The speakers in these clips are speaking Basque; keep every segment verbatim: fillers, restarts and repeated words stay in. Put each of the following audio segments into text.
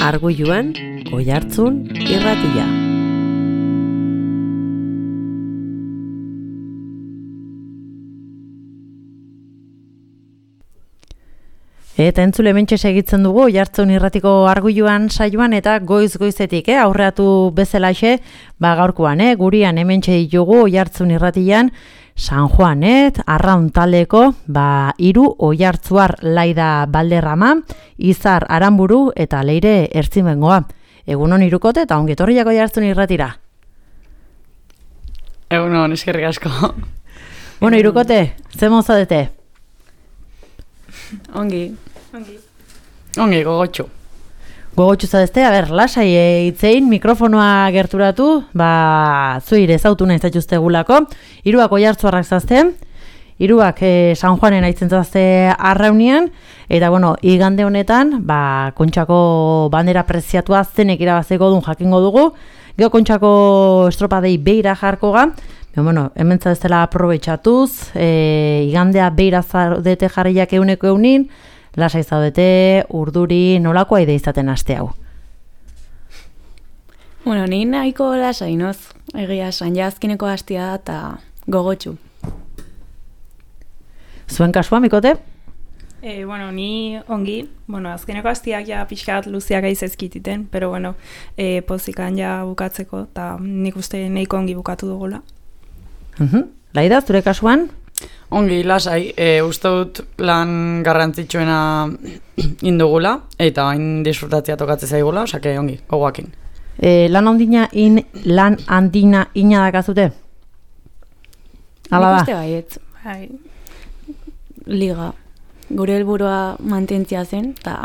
Arguiluan, Oihartzun irratia. Eta entzule mentxe segitzen dugu Oihartzun irratiko Arguiluan saioan eta goiz-goizetik, eh? Aurreatu bezalaxe, ba gaurkoan, eh? Gurian hementxe ditugu Oihartzun irratian San Juanet, Arraun taldeko, ba hiru Oihartzuar Laida Balderrama, Izar Aranburu eta Leire Ertzimengoa. Egunon Hirukote eta ongi etorriak Oihartzun irratira. Egunon, eskerrik asko. Bueno, Hirukote, ze mozadete? Ongi. Ongi. Ongi, gogotxu. Gogotxu zadezte, a ber, lasai hitzein, mikrofonoa gerturatu, ba, zuire zautu nahi zatxuztegulako, hiruak Oihartzuarrak zazte, hiruak eh, San Juanen aitzen zazte Arraunian, eta bueno, igande honetan, ba, Kontxako bandera preziatua zenek irabazeko dun jakingo dugu, geho Kontxako estropadei beira jarko ga, Pero, bueno, hemen zadeztela aprobetxatuz, e, igandea beira zaudete jarriak euneko eunin, lasai zaudete, urduri, nolakoa ide izaten aste hau? Bueno, ni nahiko lasai noz, egia esan, jazkineko hastia da eta gogotxu. Zuen kasua, Mikote? Eh, bueno, ni ongi, bueno, azkeneko hastiak ja pixkat luziak aizezkititen, pero bueno, eh, pozikan ja bukatzeko, eta nik uste nahiko ongi bukatu dugula. Uh-huh. Laida, zure kasuan? Ongi, lasai, e, uste dut lan garrantzitsuena indugula, eta hain disfrutatzea tokatzea zaigula, osake ongi, gogoakin. E, lan handina in, lan handina ina dakazute? Hala da? Nik uste baiet, bai, liga. Gure helburua mantentzia zen, eta...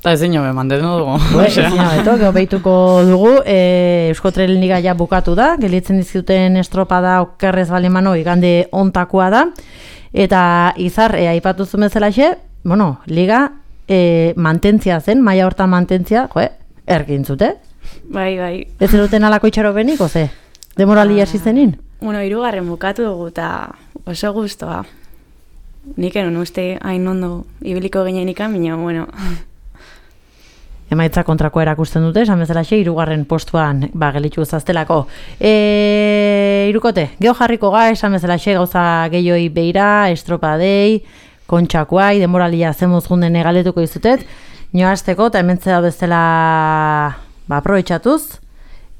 Eta ezin jobe, mantendu dugu. Ezin jobe, geho behituko dugu, e, Eusko Tren Liga ja bukatu da, gelitzen dizkuten estropada okerrez balemano igande ontakoa da, eta Izar, e, aipatu zumezelaxe, bueno, Liga e, mantentzia zen, maila hortan mantentzia, joe, ergintzute. Bai, bai. Ez zeruten alako itxaro beniko, ze? Demorali hasi zenin? Bueno, hirugarren bukatu dugu, eta oso guztua. Nik enon uste hain ondo ibiliko ginen ikan, baina, bueno... Emaitza kontrakoa erakusten dute, esan bezalaxe, hirugarren postuan ba, gelitxu zaztelako. E, Hirukote, geho jarriko ga, esan bezalaxe, gauza gehioi beira, estropadei, kontxakoai, demoralia zemuz junden egaletuko izutet, nioazteko, eta hementze da bezala ba, aprobetxatuz.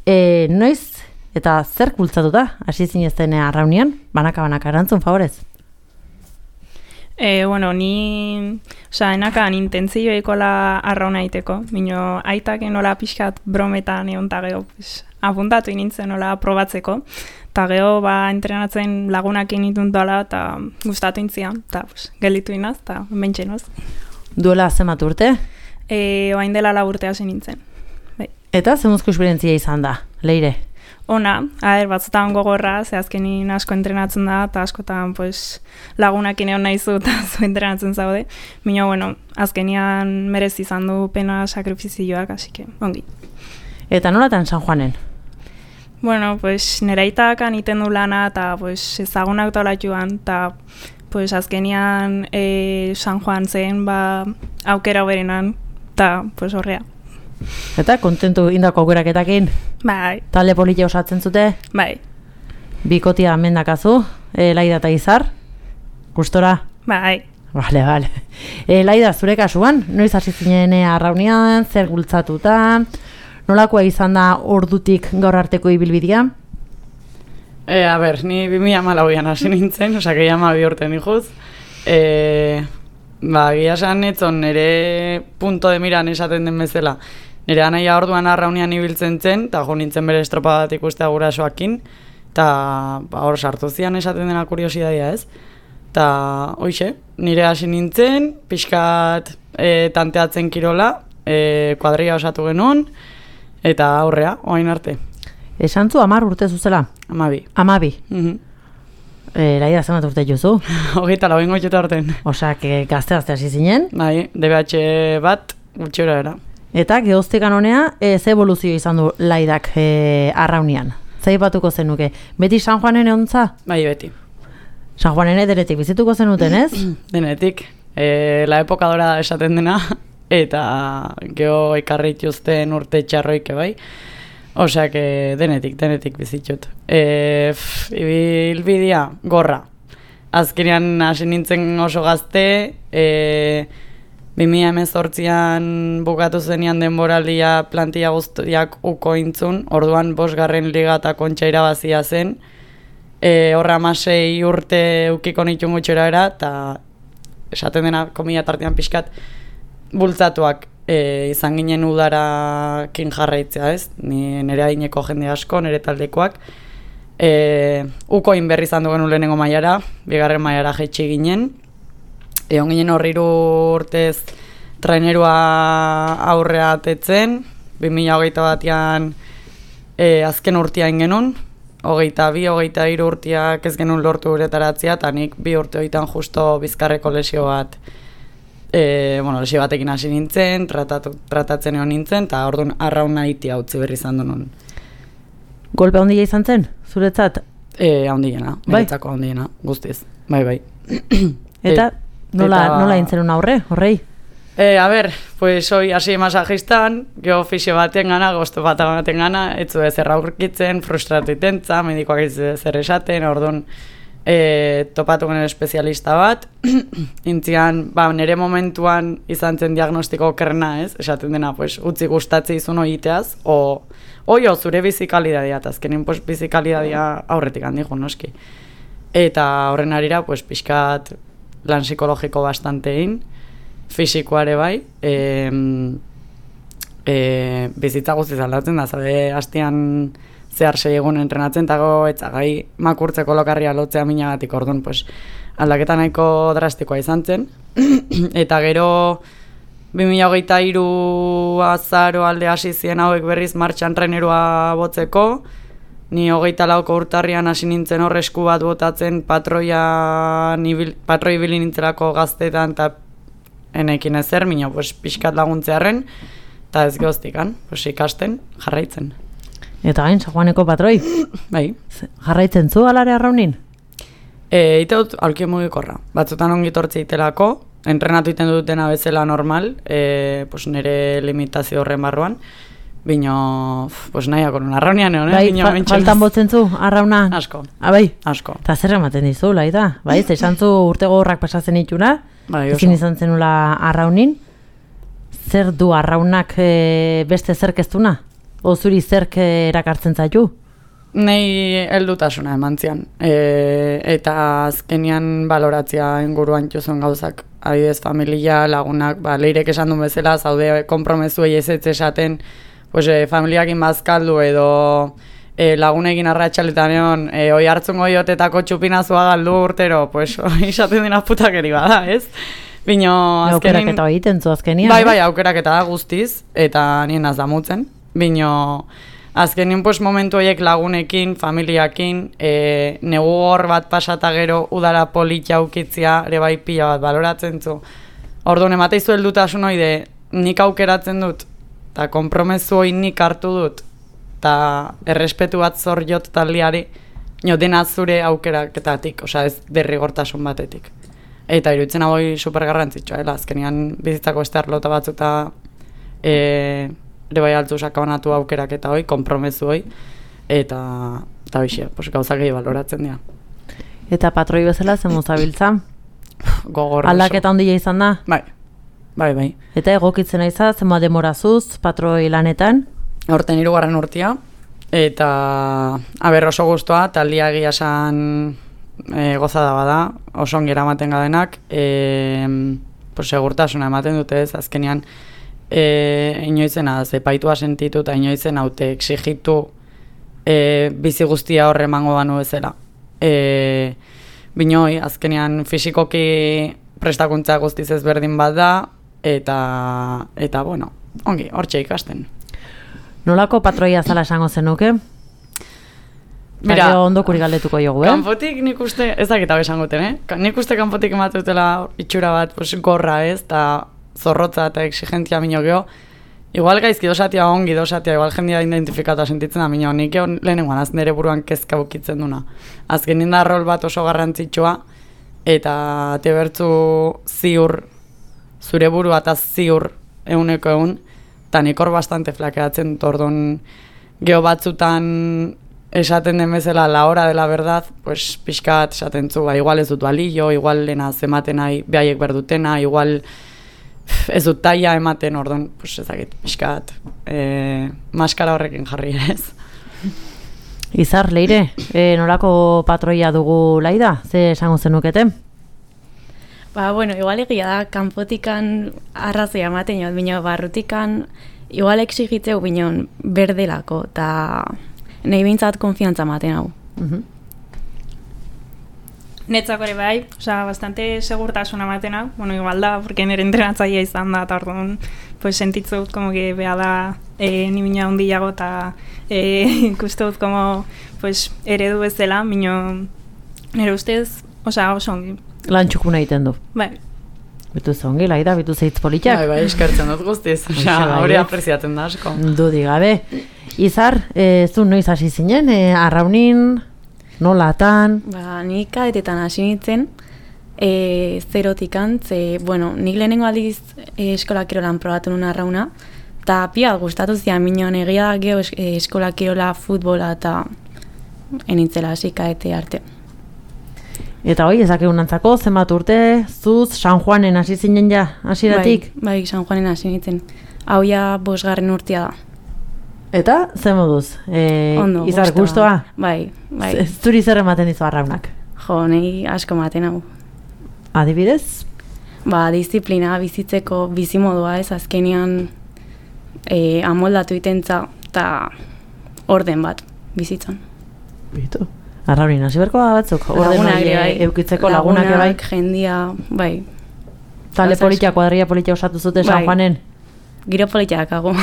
E, noiz, eta zer kultzatuta, hasi zinezten Arraunian, banaka-banaka, erantzun, favorez? Eh, bueno, ni, osea, enakan intentzioekola arrauna aiteko, mino aitak nola pixkat brometan egon ta geho, pues, apuntatu inintzen nola probatzeko, eta geho, ba, entrenatzen lagunak initun dola, eta gustatu intzian, eta pues, gelitu inaz, eta bentsenoz. Duela zemat urte? Eh, oain dela la urte hasi nintzen. Bai. Eta zemuzko esperientzia izan da, Leire? Ona, aher, batzutan gogorra, ze azkenin asko entrenatzen da, eta askotan pues, lagunakin egon nahi zu, eta zu entrenatzen zaude. Mino, bueno, azkenian merez izan du pena sakrifizioak, así que, ongi. Eta nolatan San Juanen? Bueno, pues, nera itakan iten du lana, eta pues, ezagunak tola joan, eta pues, azkenian e, San Juan zen, ba, aukera berenan, eta pues, horrea. Eta kontentu indako aukeraketakin? Bai. Talde politia osatzen zute? Bai. Bikotia mendakazu, e, Laida eta Izar? Gustora? Bai. Bale, bale. E, Laida, zure kasuan, noiz hasi zinen Arraunian, zer gultzatuta, nolakoa izan da ordutik gaur arteko ibilbidea? E, a ber, ni bi mila hamalauan hasi nintzen, osak egia hamabi urte nijuz. E, ba, gira esan etzon, nire punto de miran esaten den bezala. Nire anaia orduan Arraunian ibiltzen zen, eta jo nintzen bere estropa bat ikustea gurasoakin, eta ba, hor sartu zian esaten dena kuriosidadia ez. Eta hoixe, nire hasi nintzen, pixkat e, tanteatzen kirola, e, kuadria osatu genuen, eta aurrea, oain arte. Esan zu, amar urte zuzela? Amabi. Amabi? Mhm. E, Laida, zemat urte juzu? Hogeita lau ingo txuta orten. Osak, gazte-gazte hasi zinen? Bai, D B H bat, gutxura era. Eta gehoztekan honea, e, ze evoluzio izan du Laidak e, Arraunian? Zaipatuko zenuke. Beti San Juanen egontza? Bai, beti. San Juanen ederetik bizituko zenuten, ez? Denetik. E, la época dorada esaten dena, eta geho ekarri dituzten urte txarroike bai. Osea, que denetik, denetik bizitut. E, ibilbidea, gorra. Azkenean hasi nintzen oso gazte, e, bi mila hemezortzian bukatu zenian denboraldia plantilla guztiak uko intzun, orduan bosgarren liga eta kontxa irabazia zen, e, horra hamasei urte ukiko nitun gutxera era, eta esaten dena komila tartean pixkat bultzatuak e, izan ginen udarakin jarraitzea, ez? Ni nire adineko jende asko, nire taldekoak. E, ukoin berri izan dugen lehenengo mailara, bigarren mailara jaitsi ginen. Egon ginen horri urtez trainerua aurrea atetzen, bi mila hogeita batean e, azken urtean genuen, hogeita bi, hogeita hiru urteak ez genuen lortu uretaratzea, eta nik bi urte horietan justo bizkarreko lesio bat, e, bueno, lesio batekin hasi nintzen, tratatu, tratatzen egon nintzen, eta orduan arrauna itia utzi berri izan duen. Golpe handia izan zen, zuretzat? E, handiena, bai? Niretzako handiena, guztiz, bai, bai. Eta nola, eta, nola intzenun aurre, horrei? E, a ber, pues hoy hasi masajistan, geho fisio baten gana, gosto bat baten gana, etzu ezer aurkitzen, frustratu itentza, medikoak ez zer esaten, orduan e, topatu genen espezialista bat, intzian, ba, nire momentuan izan zen diagnostiko okerrena, ez? Esaten dena, pues, utzi gustatzi izun oiteaz, o, oio, zure bizikalidadia, eta azkenin, pues, bizikalidadia aurretik handi noski. Eta horren arira, pues, pixkat lan psikologiko bastantein, fisikoare bai, e, e, bizitza guztiz aldatzen da, zabe hastian zehar sei egun entrenatzen, eta go, etzagai makurtzeko lokarria lotzea minagatik, orduan, pues, aldaketa nahiko drastikoa izan zen, eta gero bi mila hogeita hiru azaro alde hasi ziren hauek berriz martxan trainerua botzeko, ni hogeita lauko urtarrian hasi nintzen hor esku bat botatzen patroia nibil, patroi ibili nintzelako gaztetan, eta enekin ezer, minio, pues, pixkat laguntzearen, eta ez gehoztikan, pues, ikasten, jarraitzen. Eta gain, San Juaneko patroi? Bai. Jarraitzen zu alare arraunin? E, ite dut aulki mugikorra. Batzutan ongi tortze itelako, entrenatu iten dutena bezala normal, e, pues, nire limitazio horren barruan, bino, pues, nahiako nun arraunian egon, bai, fa faltan botzen zu, arrauna? Asko. Ah, bai? Asko. Eta zer ematen dizu, laida? Bai, esan zu urte gogorrak pasatzen ituna, bai, ezin izan zenula arraunin, zer du arraunak e, beste zerkeztuna? O zuri zerk erakartzen zaitu? Nei heldutasuna eman zian. E, eta azkenian baloratzea inguruan jozuen gauzak. Adidez, familia, lagunak, ba, leirek esan duen bezala, zaude kompromezuei ez ez esaten, pues, e, familiakin bazkaldu edo e, lagunekin arratxaletan egon, e, oi hartzungo iotetako txupinazua galdu urtero, pues, izaten dena putakeri bada, ez? Bino, azkenin... Aukeraketa egiten zu azkenian, bai, bai, aukeraketa da guztiz, eta nien az damutzen. Bino, azkenin, pues, momentu horiek lagunekin, familiakin, e, negu hor bat pasata gero udara politia ukitzia, ere bai pila bat baloratzen zu. Orduan, emateizu heldutasun hori de, nik aukeratzen dut, eta konpromezu hori nik hartu dut, eta errespetu bat zor jot taldeari, nio dena zure aukeraketatik, osea ez derrigortasun batetik. Eta iruditzen hau super garrantzitsua, eh? Azkenean bizitzako beste arlota batzuta e, ere bai altzu sakabanatu aukerak eta hoi, konpromezu hoi, eta, eta bixe, pues, gauzak egin baloratzen dira. Eta patroi bezala zen mozabiltza? Gogor. Aldaketa handia izan da? Bai, bai, bai. Eta egokitzen aiza, zenba demorazuz, patroi lanetan? Horten hirugarren urtea, eta aber oso guztua, taldia egia esan e, gozada bada, oso ongera ematen gadenak, e, pues, segurtasuna ematen dute ez, azkenean, E, inoizena, zepaitua sentitu eta inoizen haute exigitu e, bizi guztia horre emango banu bezala. E, binoi, azkenean fisikoki prestakuntza guztiz ezberdin bat da, eta, eta bueno, ongi, hortxe ikasten. Nolako patroia zala esango zenuke? Mira, ondokuri galdetuko jogu, eh? Kanpotik nik uste, ez dakit hau esangoten, eh? Nik uste kanpotik ematutela itxura bat, pues, gorra ez, eta zorrotza eta exigentzia minio geho, igual gaizki dosatia ongi dosatia, igual jendia identifikatu sentitzen da minio, nik egon lehenengoan az nire buruan kezka bukitzen duna. Azken ninda rol bat oso garrantzitsua, eta te bertzu ziur, zure burua eta ziur euneko eun, eta nik hor bastante flakeatzen dut, orduan geho batzutan esaten den bezala la hora de la verdad, pues pixkat esaten zu, ba, igual ez dut balio, igual lena zematen nahi behaiek berdutena, igual ez dut taia ematen, orduan, pues ezakit, pixkat, e, maskara horrekin jarri ez. Izar, Leire, e, nolako patroia dugu Laida? Ze esango zenukete? Ba, bueno, igual egia da, kanpotikan arrazoia ematen jod, bino, barrutikan igual exigitzeu binon berdelako, eta nahi behintzat konfiantza ematen hau. Uh-huh. Netzako ere bai, osea, bastante segurtasuna ematen hau, bueno, igual da, porque nire entrenatzaia izan da, eta orduan, pues sentitzu dut, como que beha da, e, ni mina hundiago, eta e, ikustu dut, como, pues, eredu bezala, mino, nire ustez, osea, oso ongi. Lan txukuna egiten du. Bai. Bitu zongi, Laida, bitu zeitz politak. Bai, bai, eskertzen dut guztiz, osea, hori apreziatzen da asko. Dudi gabe. Izar, e, zu noiz hasi zinen, e, arraunin, nolatan? Ba, nik kadetetan hasi nintzen, e, zerotikan, ze, bueno, nik lehenengo aldiz e, eskola kirolan probatu nuen arrauna, eta pia gustatu zian, minon egia da geho es, e, eskola kirola, futbola, eta enintzela hasi kadete arte. Eta hoi, ezak egunantzako, zenbat urte, zuz, San Juanen hasi zinen ja, hasieratik? Bai, bai, San Juanen hasi nintzen. Hau ja bosgarren urtea da. Eta, zen moduz? E, Ondo, Izar, gustoa. gustoa? Bai, bai. Z- Zuri zer ematen dizu arraunak? Jo, nahi asko maten hau. Adibidez? Ba, disiplina bizitzeko bizimodua ez, azkenean e, amoldatu itentza eta orden bat bizitzan. Bitu. Arraunin hasi berko batzuk, orden Lagunak hori ere bai. eukitzeko lagunak ere bai. jendia, bai. Talde Gauza politia, asko. kuadrilla politia osatu zute San Bai. Juanen. Giro politiak hago.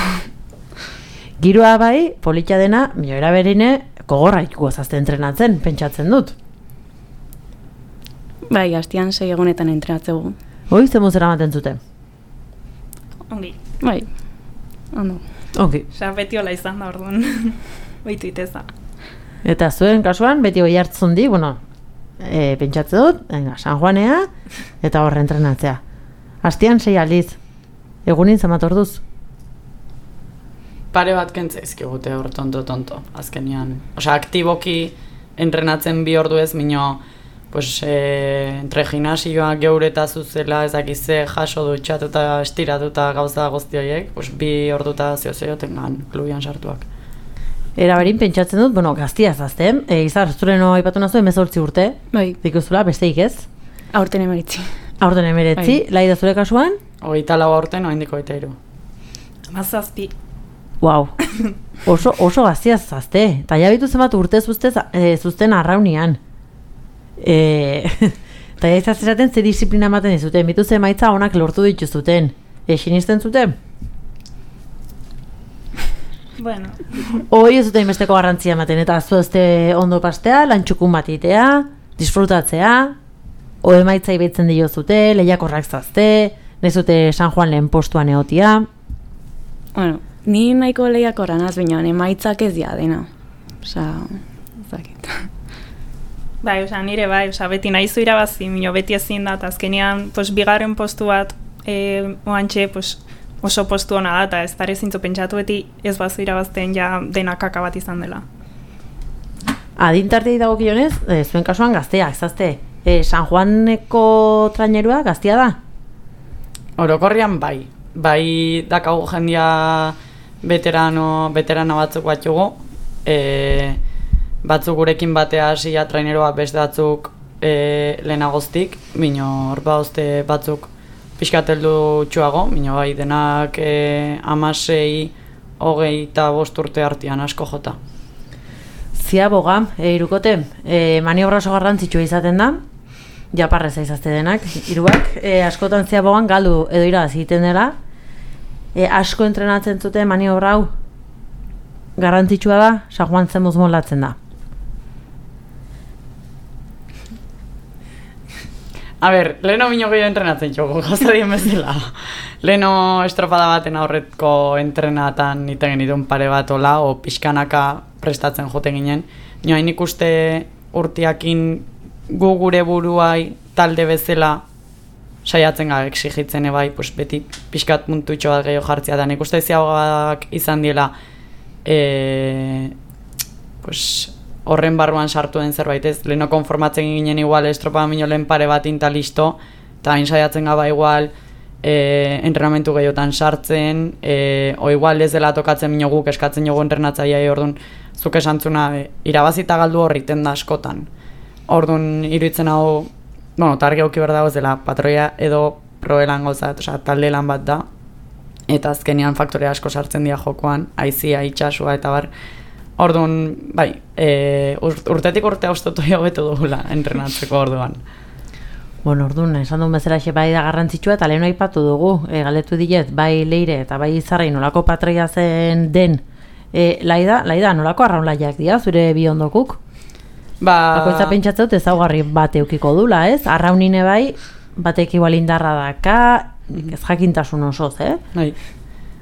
Giroa bai, politia dena, mioera berine, kogorra ikuko zazte entrenatzen, pentsatzen dut. Bai, hastian sei egunetan entrenatzegu. Hoi, zemuz eramaten zuten? Ongi. Bai, ondo. Ongi. Osea, beti hola izan da orduan. Oitu iteza. Eta zuen kasuan, beti hoi hartzun di, bueno, e, pentsatzen dut, venga, San Juanea, eta horre entrenatzea. Hastian sei aldiz, egunin zamat orduz. Pare bat kentzaizkigute hor tonto-tonto, azkenian. Osea, aktiboki entrenatzen bi ordu ez, mino, pues, e, entre gimnasioa geureta zuzela, ezakize jaso dutxatuta, estiratuta gauza guzti horiek, pues, bi orduta zeo-zeo tengan klubian sartuak. Era berin pentsatzen dut, bueno, gaztia zazten, e, Izar, zure no aipatu nazu, emezortzi urte, Bai, dikuzula, besteik ez? aurten emeritzi. Aurten emeretzi, Bai. Laida zure kasuan? Hogeita lau aurten, oraindik hogeita hiru. Mazazpi. Wow. Oso, oso gaztia zazte. Eta ja bitu zenbat urte zuzte, e, zuzten arraunian. E, eta ja izaz esaten ze disiplina ematen dizuten. Bitu ze emaitza onak lortu dituzuten. E, sinisten zuten? Bueno, Hoi ez zuten besteko garrantzia ematen. Eta zuezte ondo pastea, lantxukun bat itea, disfrutatzea, o emaitza ibetzen dio zute, lehiakorrak zazte, nezute San Juan lehen postuan egotia. Bueno, ni nahiko lehiakorra naz binean, emaitzak ez dia dena. Osa, zakit. bai, osea, nire bai, osea, beti nahizu irabazi, mino beti ezin da, eta azkenean, pues, bigarren postu bat, e, oantxe, pues, oso postu hona da, eta ez dara zintzu pentsatu beti ez bazu irabazten ja dena kaka bat izan dela. Adintartei dagokionez, e, zuen kasuan gaztea, ezazte. E, San Juaneko trainerua gaztea da? Orokorrian bai. Bai dakagu jendia veterano, veterana batzuk batzugu. E, batzuk gurekin batea hasia traineroa beste batzuk e, lehenagoztik, mino hor bauzte batzuk pixkateldu txuago, mino bai denak e, amasei, hogei eta bost urte artean asko jota. Ziaboga, e, irukote, e, maniobra oso garrantzitsua izaten da, japarreza izazte denak, iruak, e, askotan ziabogan galdu edo iraz egiten dela, e, asko entrenatzen zuten maniobra hau, garrantzitsua da, San Juan zemuz moldatzen da. A ber, leheno bino gehiago entrenatzen txoko, gauza dien bezala. Leheno estropada baten aurretko entrenatan iten genituen pare bat ola, o pixkanaka prestatzen joten ginen. Nio hain ikuste urtiakin gu gure buruai talde bezala saiatzen gara exigitzen ebai, pues, beti pixkat puntutxo bat gehiago jartzea da. Nik uste ziagoak izan diela e, pues, horren barruan sartu den zerbait ez, leheno konformatzen ginen igual estropa minio lehen pare bat inta listo, eta hain saiatzen gaba igual e, entrenamentu gehiotan sartzen, e, o igual ez dela tokatzen minio guk eskatzen jogu entrenatzaia, orduan zuk esantzuna e, irabazita galdu horriten da askotan. Orduan iruditzen hau, bueno, targi auki behar dago ez dela patroia edo proelan gozat, oza, talde lan bat da, eta azkenean faktore asko sartzen dira jokoan, aizia, itxasua eta bar. Orduan, bai, e, urtetik urtea ustotu hobetu dugula entrenatzeko orduan. Bueno, orduan, esan duen bezala xe bai da garrantzitsua eta lehen aipatu dugu, e, galetu diet, bai Leire eta bai Izarrei nolako patroia zen den, e, laida, laida, nolako arraunlaiak dira, zure bi ondokuk? Ba... Bakoitza pentsatzen dut ezaugarri bat eukiko dula, ez? Arraunine bai, batek igual indarra daka, ez jakintasun osoz, eh? Bai,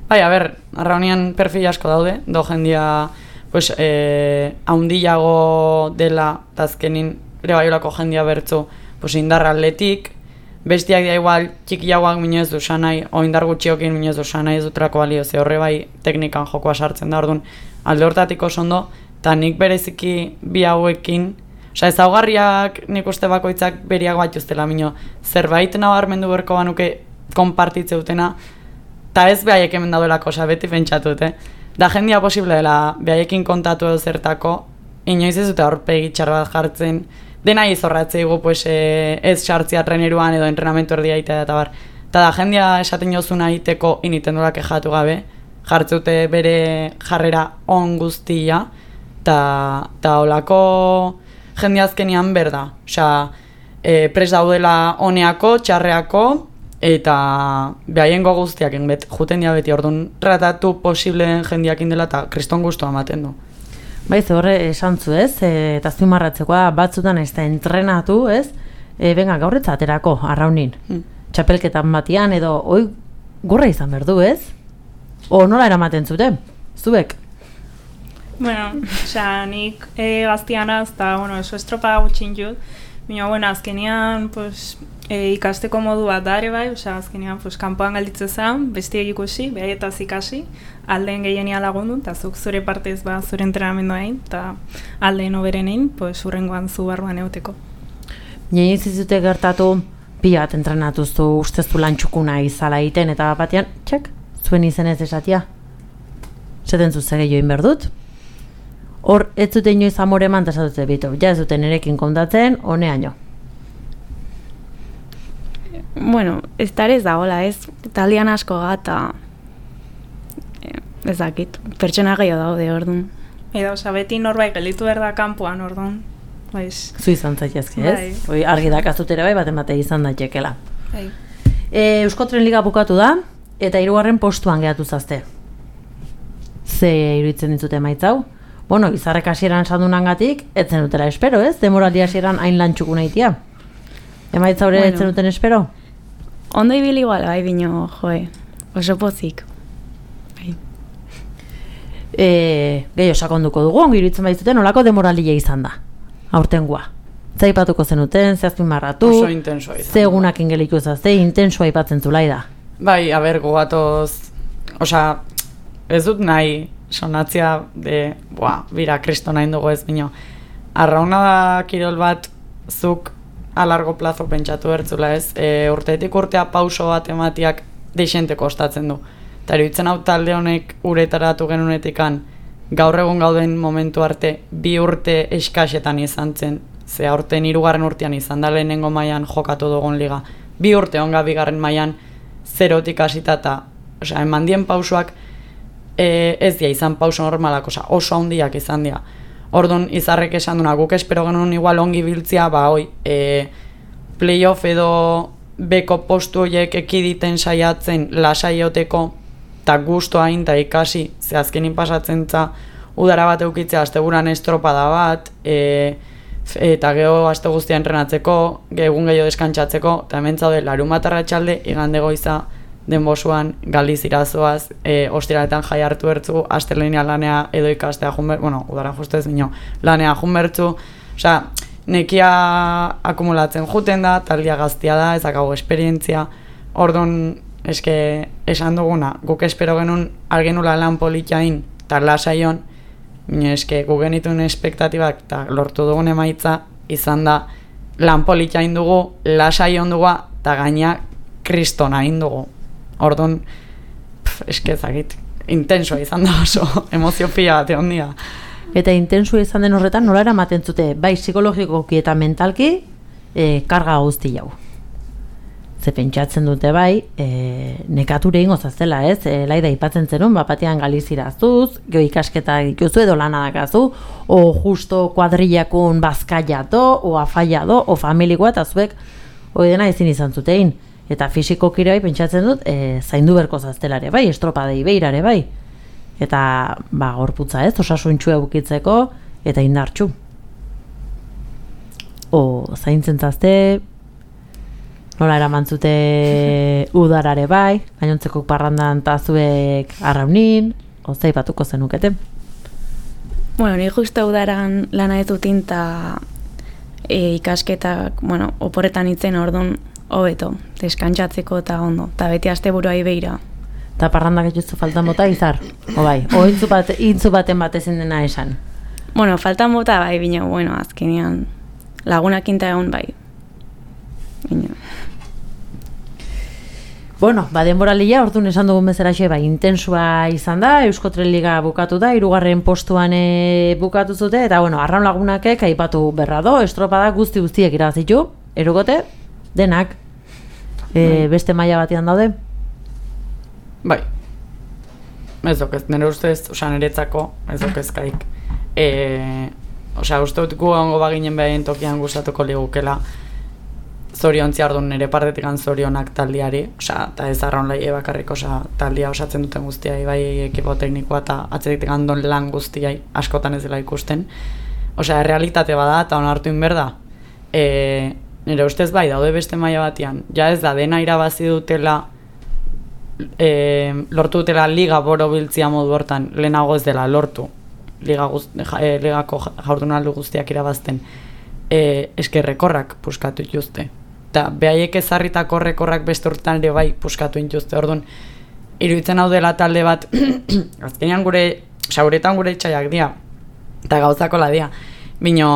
bai, a ber, arraunian perfil asko daude, do jendia, pues, eh, haundiago dela, eta azkenin, ere baiolako jendia bertzu, pues, indarra atletik, bestiak dira igual, txikiagoak minio ez du sanai, o indar gutxiokin minio ez du sanai ez dutrako balio, ze horre bai teknikan jokoa sartzen da, orduan, alde hortatiko ondo, eta nik bereziki bi hauekin, osea, ezaugarriak nik uste bakoitzak beriak bat justela minio, zerbait nabarmendu berko banuke konpartitze dutena, eta ez behaiek hemen daudelako, osea, beti pentsatu dute. Da jendia posible dela behaiekin kontatu edo zertako, inoiz ez dute aurpegi txar bat jartzen, dena izorratzea egu, pues, e, ez sartzea treneruan edo entrenamentu erdia itea eta bar. Eta da jendia esaten jozuna iteko initen dola kejatu gabe, jartzeute bere jarrera on guztia, eta olako jende azkenian berda. Osea, e, pres daudela honeako, txarreako, eta behaien guztiak bet, juten dia beti, orduan tratatu posibleen jendiakin dela eta kriston guztua ematen du. Bai, ze horre esan zu ez, e, eta azpimarratzekoa batzutan ez da entrenatu, ez? E, benga, gaurretza aterako, arraunin. Hmm. Txapelketan batian edo, oi, gurra izan berdu, ez? O nola eramaten zuten, zuek? Bueno, osea, nik e, gaztianaz, eta, bueno, eso estropa gutxin jut, baina, bueno, azkenean, pues, e, ikasteko modu bat da ere bai, osea, azkenean, pues, kanpoan galditze zen, bestiek ikusi, behaietaz ikasi, aldeen gehienia lagundu, eta zuk zure partez ba, zure entrenamendu egin, eta aldeen oberen egin, pues, urrengoan zu barruan euteko. Nien zizute gertatu, pila bat entrenatuztu usteztu lantxukuna izala egiten, eta batean, txek, zuen izenez esatia. Zeten zuze gehioin berdut. Hor, ez zuten inoiz amore eman, eta esatute bitu, ja ez duten erekin kontatzen, honeaino. Bueno, ez da ez dagoela, ez, taldean asko gata, ez dakit, pertsona gehiago daude, orduan. Eta, oza, beti norbait gelditu behar da kanpoan, orduan. Baiz. Zu izan zaitezke, ez? Bai. Argi dakazut ere bai, bat emate izan daitekela. Bai. E, Euskotren Liga bukatu da, eta hirugarren postuan gehatu zazte. Ze iruditzen ditzute maitzau? Bueno, Izarrek hasieran sandunangatik, etzen dutela espero, ez? Demoraldi hasieran hain lantxuku nahitia. Emaitza hori bueno, etzen duten espero? Ondo ibili igual, bai, bino, joe, oso pozik. Bai. E, Gehiago sakonduko dugu, ongi iruditzen baitzuten, olako demoralia izan da, aurtengoa. Zaipatuko zenuten, zehazpin marratu, oso intensoa izan. Ze egunak ingeliku zazte, intensoa ipatzen zulai da. Bai, a ber, gogatoz, osea, ez dut nahi, sonatzia de, boa, bira, kristo nahi dugu ez bino. Arrauna da kirol bat, zuk a largo plazo pentsatu bertzula ez, e, urteetik urtea pauso bat ematiak deixente kostatzen du. Eta iruditzen hau talde honek uretaratu genunetikan, gaur egun gauden momentu arte, bi urte eskasetan izan zen, ze aurten hirugarren urtean izan da lehenengo mailan jokatu dugun liga. Bi urte onga bigarren mailan zerotik hasita eta, osea, eman dien pausoak, E, ez dia izan pauso normalak, osa, oso handiak izan dira. Orduan, Izarrek esan duna, guk espero genuen igual ongi biltzia, ba, oi, e, playoff edo beko postu horiek ekiditen saiatzen lasaioteko, eta guztua hain, eta ikasi, ze azkenin pasatzen za, udara bat eukitzea, asteburan estropada bat, e, eta geho aste guztia entrenatzeko, egun gehiago deskantzatzeko, eta hemen zaude, larunbat arratsalde, igande goiza, denbosuan, galiz irazoaz, e, ostiraletan jai hartu bertzu, astelenia lanea edo ikastea junbertzu, bueno, udara justez bino, lanea junbertzu, osea, nekia akumulatzen juten da, taldia gaztia da, ezakago esperientzia, orduan, eske, esan duguna, guk espero genuen algenula lan politxain, eta lasaion, baina eske, guk genituen espektatibak, eta lortu dugun emaitza, izan da, lan politxain dugu, lasaion dugu, eta gaina kristona indugu. Orduan, eske ezagit, intensua izan da oso, emozio pila bat egon dira. Eta intensua izan den horretan, nola eramaten zute, bai psikologikoki eta mentalki, e, karga guzti jau. Ze pentsatzen dute bai, e, nekature ingo zaztela, ez? E, laida ipatzen zenun, bapatean galiziraztuz, geho ikasketa dituzu edo lana dakazu, o justo kuadrillakun bazkaiato, o afaiado, o familikoa, eta zuek, hori dena ezin izan zutein. Eta fisikokire bai pentsatzen dut, e, zaindu berko zaztelare bai, estropadei beirare bai. Eta, ba, gorputza ez, osasuntxu eukitzeko, eta indartxu. O, zaintzen zazte, nola eramantzute udarare bai, gainontzeko parrandan tazuek arraunin, ozai batuko zenukete. Bueno, ni justo udaran lana ez dutin, eta e, ikasketak, bueno, oporretan itzen orduan hobeto, deskantzatzeko eta ondo, eta beti asteburuai beira. Eta parrandak etxuzu faltan bota izar? O bai, o intzu, bat, intzu baten bat ezin dena esan? Bueno, faltan bota bai, bina, bueno, azkenean lagunak inta egon bai. Bina. Bueno, ba, denboralia, orduan esan dugun bezalaxe, bai, intensua izan da, Eusko Tren Liga bukatu da, hirugarren postuan e, bukatu zute, eta, bueno, arraun lagunakek aipatu berra do, estropada guzti guztiek irabazitu, erugote, denak, e, beste maila batean daude. Bai, ez dok ez, nire ustez, oza, niretzako, ez dok ezkaik. E, oza, uste dut gu ongo baginen behaien tokian gustatuko ligukela, zoriontzi ardun nire partetik zorionak taldiari, oza, eta ez arraun laie bakarrik, oza, taldia osatzen duten guztiai, bai ekipo teknikoa eta atzetik andon lan guztiai, askotan ez dela ikusten. Oza, realitate bada eta onartu inberda. E, nire ustez bai, daude beste maila batian, ja ez da, dena irabazi dutela, e, lortu dutela liga boro biltzia modu hortan, lehenago ez dela lortu, liga guz, e, ligako jaurdunaldu guztiak irabazten, e, eskerrekorrak puskatu ituzte. Eta behaiek ezarritako rekorrak beste urtean ere bai puskatu intuzte, orduan, iruditzen hau dela talde bat, azkenean gure, oza, guretan gure itxaiak dia, eta gauzako la dia, bino,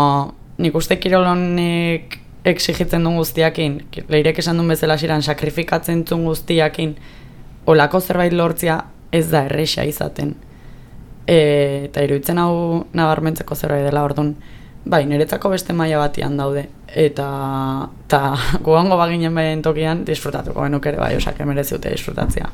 nik uste kirolonek exigitzen duen guztiakin, leirek esan duen bezala ziren, sakrifikatzen duen guztiakin, olako zerbait lortzia ez da erresa izaten. E, eta iruditzen hau nabarmentzeko zerbait dela, orduan, bai, niretzako beste maila batian daude, eta, eta guango baginen behien tokian disfrutatuko genuk ere bai, osak emerezi dute disfrutatzea.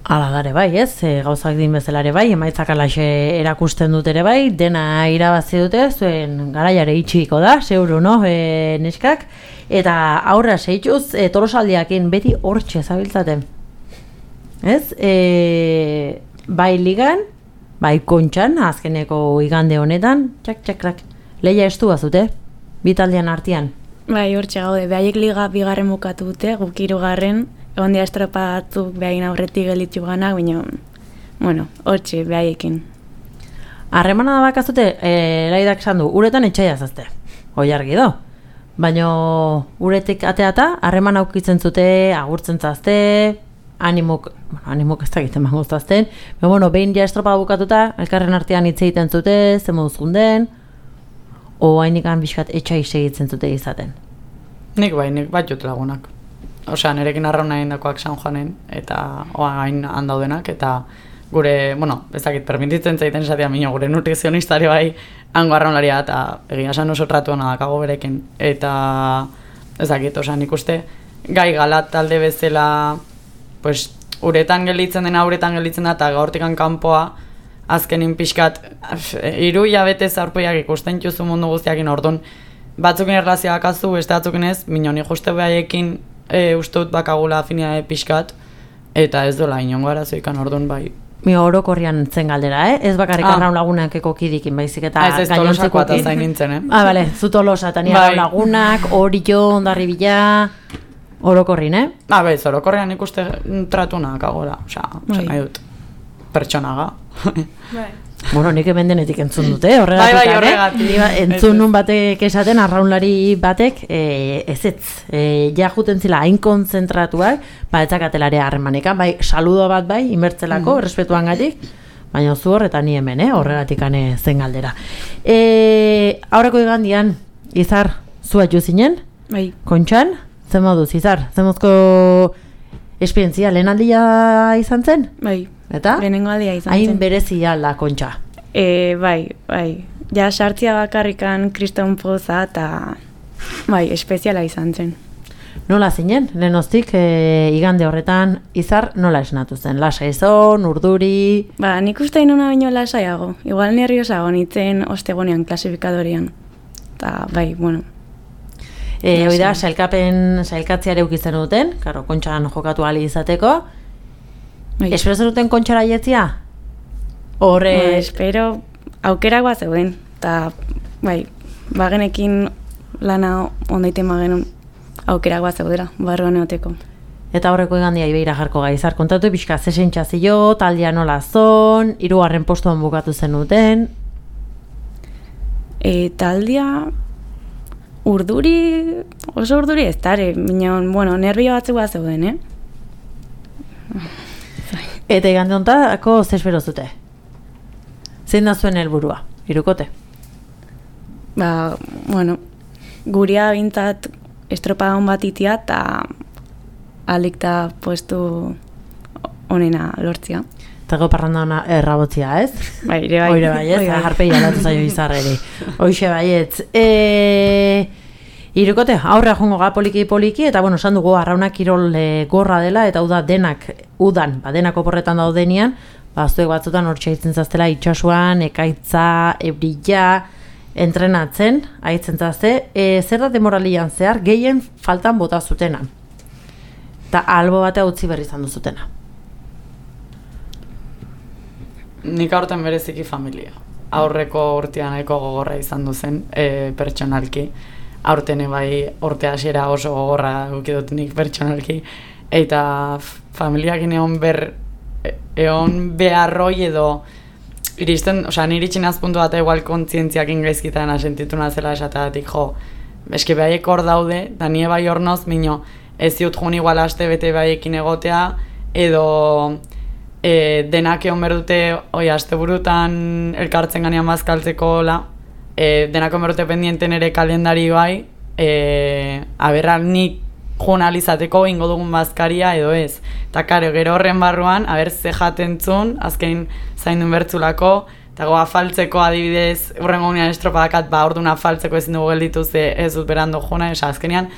Ala dare bai, ez, e, gauzak din bezala ere bai, emaitzak alaxe erakusten dut ere bai, dena irabazi dute, zuen garaiare itxiko da, zeuru, no, e, neskak, eta aurra seituz, e, tolosaldiakin beti hortxe zabiltzaten. Ez, e, bai ligan, bai kontxan, azkeneko igande honetan, txak, txak, txak, lehia estu bazute, bitaldean artean. Bai, hortxe gaude, behaiek liga bigarren bukatu dute, guk hirugarren, egon dira estropa batzuk behain aurretik gelitzu ganak, baina, bueno, hortxe, behaiekin. Harremana da bakazute, e, laidak esan du, uretan etxaia zazte, hoi argi do. Baina uretik ateata, harreman aukitzen zute, agurtzen zazte, animok, bueno, animok ez da egiten mangoztazten, baina, bueno, behin ja estropa bukatuta, elkarren artean hitz egiten zute, ze moduz junden, o hainikan bizkat etxai segitzen zute izaten. Nik bai, nik bat jut lagunak. Osea, nirekin arrauna egin dakoak San Juanen, eta oain handaudenak, eta gure, bueno, ez dakit, permititzen zaiten esatea minio, gure nutrizionistari bai, hango arraunlaria, eta egia esan oso tratu hona dakago berekin, eta ez dakit, osea, nik uste, gai galat talde bezala, pues, uretan gelditzen dena, uretan gelditzen da, eta gaurtikan kanpoa, azkenin pixkat, hiru hilabete zaurpoiak ikusten txuzu mundu guztiakin, orduan, batzukin erlazioak azu, beste batzukin ez, minio, nik uste behaiekin, E, uste dut bakagula afinia pixkat, eta ez dola inongo arazoikan, orduan bai. Mi orokorrian zen galdera, eh? Ez bakarrik ah. arraun lagunak eko kidikin, baizik eta gainontzekoekin. Ez ez tolosakoa eta zain nintzen, eh? Ah, bale, zu tolosa, eta ni arraun lagunak, orio, ondarri bila, orokorrin, eh? Ah, bez, orokorrian ikuste tratunak agola, osea, osea, nahi dut, pertsonaga. Bai. Bueno, nik hemen denetik entzun dute, horregatik. Bai, bai, horregatik. Eh? Entzun nun batek esaten, arraunlari batek, e, ez ez, e, ja juten zila hain konzentratuak, ba, etzakatelare harremanekan, bai, saludo bat bai, inbertzelako, mm. respetuan gatik, baina zu hor eta ni hemen, eh? Horregatik ane zen galdera. E, aurreko igandian, Izar, zu atxu zinen? Bai. Kontxan, zen moduz, Izar, zen mozko esperientzia, lehen aldia izan zen? Bai. Eta? Lehenengo aldia izan hain zen. berezia la Kontxa. E, bai, bai. Ja sartzia bakarrikan kriston poza eta bai, espeziala izan zen. Nola zinen? Lehenoztik, e, igande horretan, Izar nola esnatu zen? Lasa izon, urduri... Ba, nik uste inuna baino lasaiago. Igual nerviosago nintzen ostegonean klasifikadorean. Eta bai, bueno. E, hoi da, sailkapen, sailkatziare ukitzen duten, karo, Kontxan jokatu ali izateko. Bai. Espero zenuten Kontxara jetzia? Horre... Ba, espero aukerak bat zeuden. Eta, bai, bagenekin lana ondaiten bagenun aukerak bat zeudera, barruan eoteko. Eta horreko igandia ibeira jarko gaizar. Kontatu pixka, zesen txazio, taldea nola zon, hirugarren postuan bukatu zenuten. E, taldea... Urduri, oso urduri ez dara, minon, bueno, nervio batzuk bat zeuden, eh? Eta igande hontako ze espero zute? Zein da zuen helburua, hirukote? Ba, bueno, guria bintzat estropadon bat itia eta alikta puestu onena lortzia. Eta go parranda ona errabotzia, ez? Bai, ere bai. Oire bai, ez? Bai, bai. Jarpei alatu zaio izarreri. Hoxe baietz. E... Irukote, aurrea jongo ga poliki-poliki, eta bueno, esan dugu arraunak kirol e, gorra dela, eta uda denak, udan, ba, denak oporretan daudenian, ba, zuek batzutan hor txaitzen zaztela itxasuan, ekaitza, ebrilla, entrenatzen, haitzen zazte, e, zer da demoralian zehar, gehien faltan bota zutena. Eta albo batea utzi berri izan duzutena. Nik aurten bereziki familia. Aurreko urtean nahiko gogorra izan duzen, e, pertsonalki. Aurten bai urte hasiera oso gogorra ukidot nik pertsonalki. Eta familiakin egon ber, egon beharroi edo iristen, osea, niri txinaz puntu bat igual kontzientziakin gaizkitan asentitu nazela esatatik, jo, eske behaiek hor daude, da nie bai hor noz, mino, ez ziut jun igual aste bete baiekin egotea, edo e, denak egon berdute, oi, aste burutan elkartzen ganean bazkaltzeko, la, e, denak egon berdute pendienten ere kalendari bai, e, aberra nik joanalizateko ingo dugun bazkaria edo ez. Eta karo, gero horren barruan, aber ze jatentzun, azkenin zaindun bertzulako, eta goa afaltzeko adibidez, urrengo gunean estropadakat, ba, orduan afaltzeko ezin dugu gelditu ze ez dut berando jona, esa azkenean,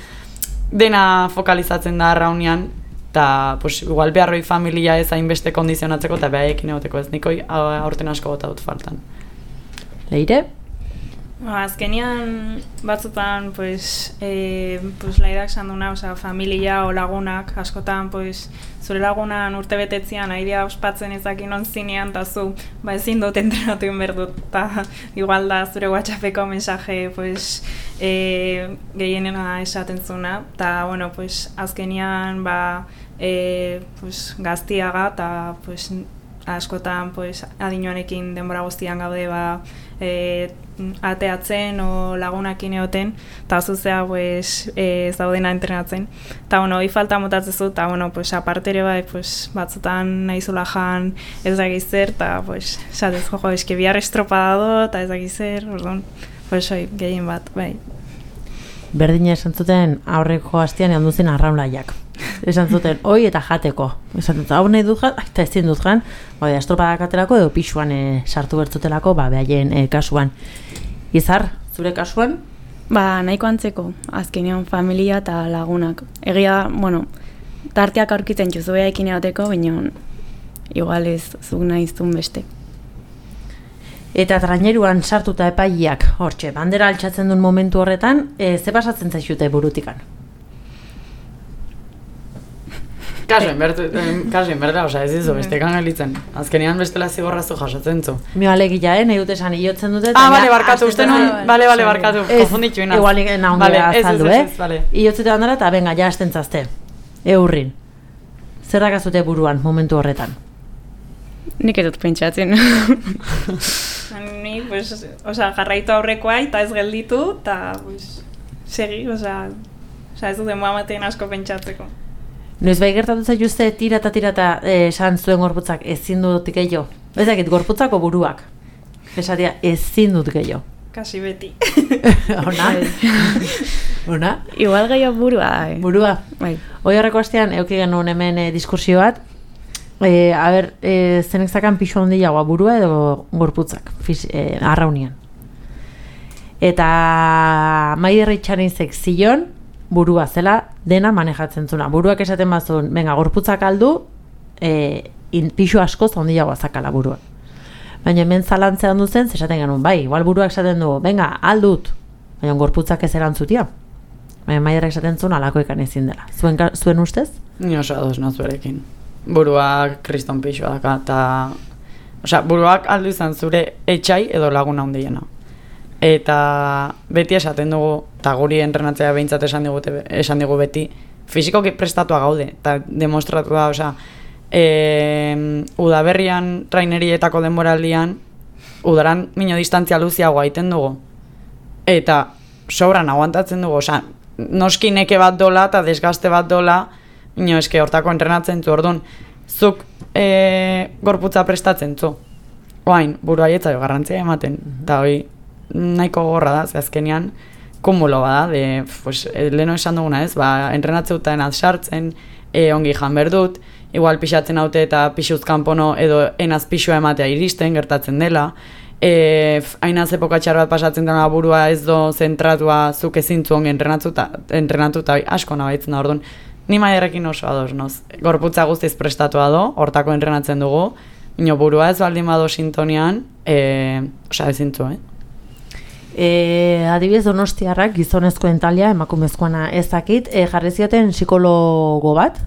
dena fokalizatzen da arraunean, eta pues, igual beharroi familia ez hainbeste kondizionatzeko, eta behaiekin egoteko ez nikoi aurten asko gota dut faltan. Leire? Ba, azkenian batzutan, pues, e, pues, laidak sanduna, oza, familia o lagunak, askotan, pues, zure lagunan urte betetzean, airea ospatzen ezakin ontzinean, eta zu, ba, ezin dut entrenatu inberdut, eta igual da zure WhatsAppeko mensaje, pues, e, gehienena esaten zuna, eta, bueno, pues, azkenian, ba, e, pues, gaztiaga, eta, pues, askotan, pues, adinoanekin denbora guztian gaude, ba, e, ateatzen o lagunakin egoten, eta zuzea pues, e, zaudena entrenatzen. Eta bueno, hori falta motatzezu, eta bueno, pues, aparte ere bai, pues, batzutan nahizula jan ez dakiz zer, eta pues, esatez, jojo, eski bihar estropada do, eta ez dakiz zer, orduan, pues, oi, gehien bat, bai. Berdina esan zuten aurreko hastian egon duzen arraunlaiak. Esan zuten, oi eta jateko. Esan zuten, hau nahi dut jan, eta ezin dut jan, bai, estropadak aterako edo pixuan e, sartu bertzutelako, ba, behaien e, kasuan. Izar, zure kasuan? Ba, nahiko antzeko, azkenean familia eta lagunak. Egia, bueno, tarteak aurkitzen txuzu behaekin egoteko, baina igual ez zuk nahiztun beste. Eta traineruan sartuta epaileak, hortxe, bandera altxatzen duen momentu horretan, e, ze pasatzen zaizute burutikan? Kaso, enberdela, oza, ez izo, beste gelitzen. Azkenean bestela zigorrazu jasatzen zu. Mio alegia, eh, nahi dut esan hiotzen dute. Ah, bale, barkatu, uste nun, bale, bale, barkatu, konfunditu inaz. Igual nahondia azaldu, eh? Iotzete bandera eta benga, ja estentzazte. Eurrin. Zer dakazute buruan momentu horretan? Nik ez dut pentsatzen. nik, pues, osea, jarraitu aurrekoa eta ez gelditu, eta, pues, segi, osea, osea, ez duten moamaten asko pentsatzeko. Noiz bai gertatu zaituzte tira eta tira eta esan zuen gorputzak ezin dut gehiago. Ez dakit, gorputzako buruak. Esatia, ezin dut gehiago. Kasi beti. Ona? Ona? Igual gehiago burua. Eh. Burua? Bai. Hoi horreko astean, euki genuen hemen e, diskursio bat, e, a ber, e, zenek zakan pixu handiagoa burua edo gorputzak, fiz, e, arraunian. Eta Maider Itxarizek zion, burua zela dena manejatzen zuna. Buruak esaten bazun, venga, gorputzak aldu, e, in, pixu askoz handiagoa zakala burua. Baina hemen zalantzean duzen, esaten genuen, bai, igual buruak esaten du, venga, aldut, baina gorputzak ez erantzutia. Baina Maiderrak esaten zuen alako ikan ezin dela. Zuen, zuen ustez? Ni oso ados nazuerekin. Buruak kriston pixua daka, eta... Osea, buruak aldu izan zure etxai edo laguna handiena. Eta beti esaten dugu, eta guri entrenatzea behintzat esan, digute, esan digu beti, fizikoki prestatua gaude, eta demostratu da, osea, e, udaberrian trainerietako denboraldian, udaran mino distantzia luziagoa egiten dugu. Eta sobran aguantatzen dugu, osea, noski neke bat dola eta desgaste bat dola, mino eske hortako entrenatzen zu, orduan, zuk e, gorputza prestatzen zu. Oain, burua jetzaio garrantzia ematen, eta hoi, nahiko gorra da, ze azkenean kumulo bada, de, pues, leheno esan duguna ez, ba, entrenatzeutan sartzen, e, ongi jan berdut, igual pixatzen haute eta pixuz kanpono edo enaz pixua ematea iristen, gertatzen dela, e, hainaz epoka txar bat pasatzen dela burua ez do zentratua zuk ezintzu ongi entrenatuta, entrenatuta asko nabaitzen da, orduan, ni Maiderrekin oso ados, noz, gorputza guztiz prestatua do, hortako entrenatzen dugu, ino burua ez baldin bado sintonian, e, osea ezintzu, eh? E, adibidez Donostiarrak gizonezkoen talia, emakumezkoana ezakit, e, jarri zioten psikologo bat,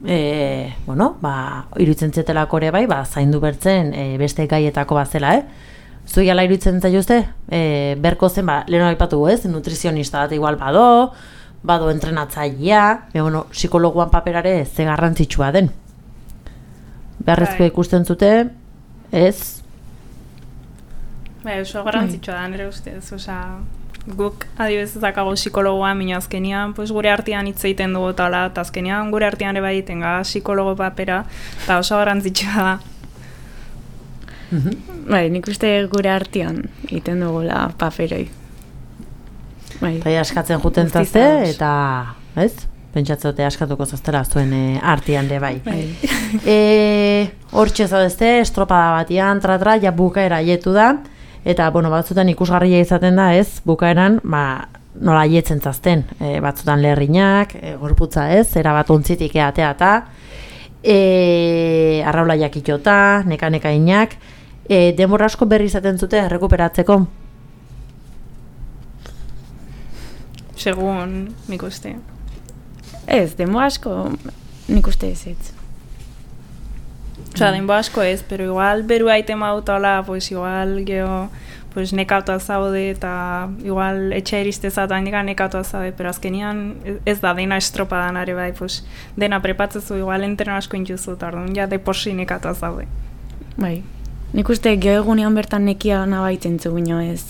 e, bueno, ba, iruditzen zetelako ere bai, ba, zaindu bertzen e, beste gaietako bazela, eh? Zui ala iruditzen zaituzte, e, berko zen, ba, leheno aipatu ez, nutrizionista bat igual bado, bado entrenatzailea, e, bueno, psikologoan paperare ze garrantzitsua den. Beharrezkoa ikusten zute, ez? Bai, oso garrantzitsua da nire ustez, osea, guk adibidez ezakago psikologoa, minio azkenian, pues, gure artean hitz egiten dugu tala, eta azkenian gure artean ere bai tenga psikologo papera, eta oso garrantzitsua da. Bai, nik uste gure artean egiten dugula paperoi. Bai. Bai, askatzen juten zazte, eta, ez? Pentsatzote askatuko zaztela zuen e, artean de bai. Bai. e, Hortxe zadezte, estropada batian, tratra, ja bukaera aietu da, eta, bueno, batzutan ikusgarria izaten da, ez, bukaeran, ba, nola aietzen zazten, e, batzutan lerrinak, e, gorputza ez, erabat ontzitik eatea eta, e, arraula jakitota, neka-neka inak, e, denbora asko berri izaten zute rekuperatzeko? Segun, nik uste. Ez, denbora asko nik uste ez ez. Osea, denbora asko ez, pero igual beru aite mautala, pues igual geho, pues nekautua zaude eta igual etxe iristezat haindikan nekautua zaude, pero azkenian ez da dena estropadan are bai, pues dena prepatzezu igual entreno asko intuzu, eta orduan ja de porsi nekautua zaude. Bai, nik uste geho egunean bertan nekia nabaiten zu bino ez,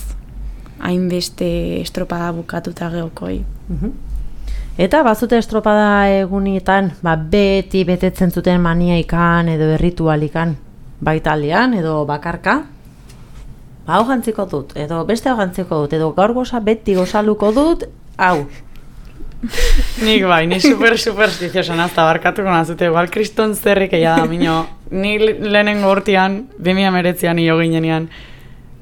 hainbeste estropada bukatuta geokoi. Eta bazute estropada egunietan, ba, beti betetzen zuten maniaikan edo erritualikan, baitalian edo bakarka, ba, hau jantziko dut, edo beste hau jantziko dut, edo gaur goza beti gozaluko dut, hau. Nik bai, ni super superstiziosa nazta barkatuko nazute, igual kriston zerrik egia da, mino, ni lehenengo urtean, bi mila hemeretzian nio ginenean,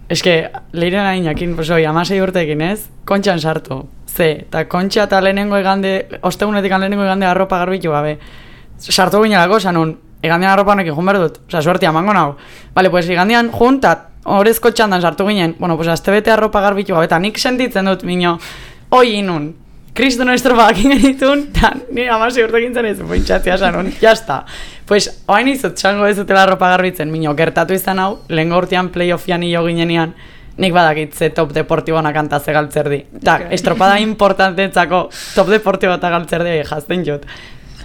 eske, leiren ainakin, pues oi, amasei urteekin ez, kontxan sartu. Ze, eta kontxa eta lehenengo egande, ostegunetik lehenengo egande arropa garbitu gabe. Sartu ginelako, esan nun, egandean arropa honekin jun behar dut. Osa, suertia, mango nago. Bale, pues, egandean jun, eta horrezko txandan sartu ginen. Bueno, pues, azte bete arropa garbitu gabe, eta nik sentitzen dut, mino, oi inun, kristono estropadak ingenitun, eta nire amasi urtekin zen ez, pointxatzia esan nun, jazta. Pues, oain izut, txango ez dutela arropa garbitzen, mino, gertatu izan hau, lehen urtean playoffian hilo ginenean, nik badakit ze top deportibona kanta ze galtzerdi. Ta, estropada importantentzako top deportibo eta galtzerdi jazten jut.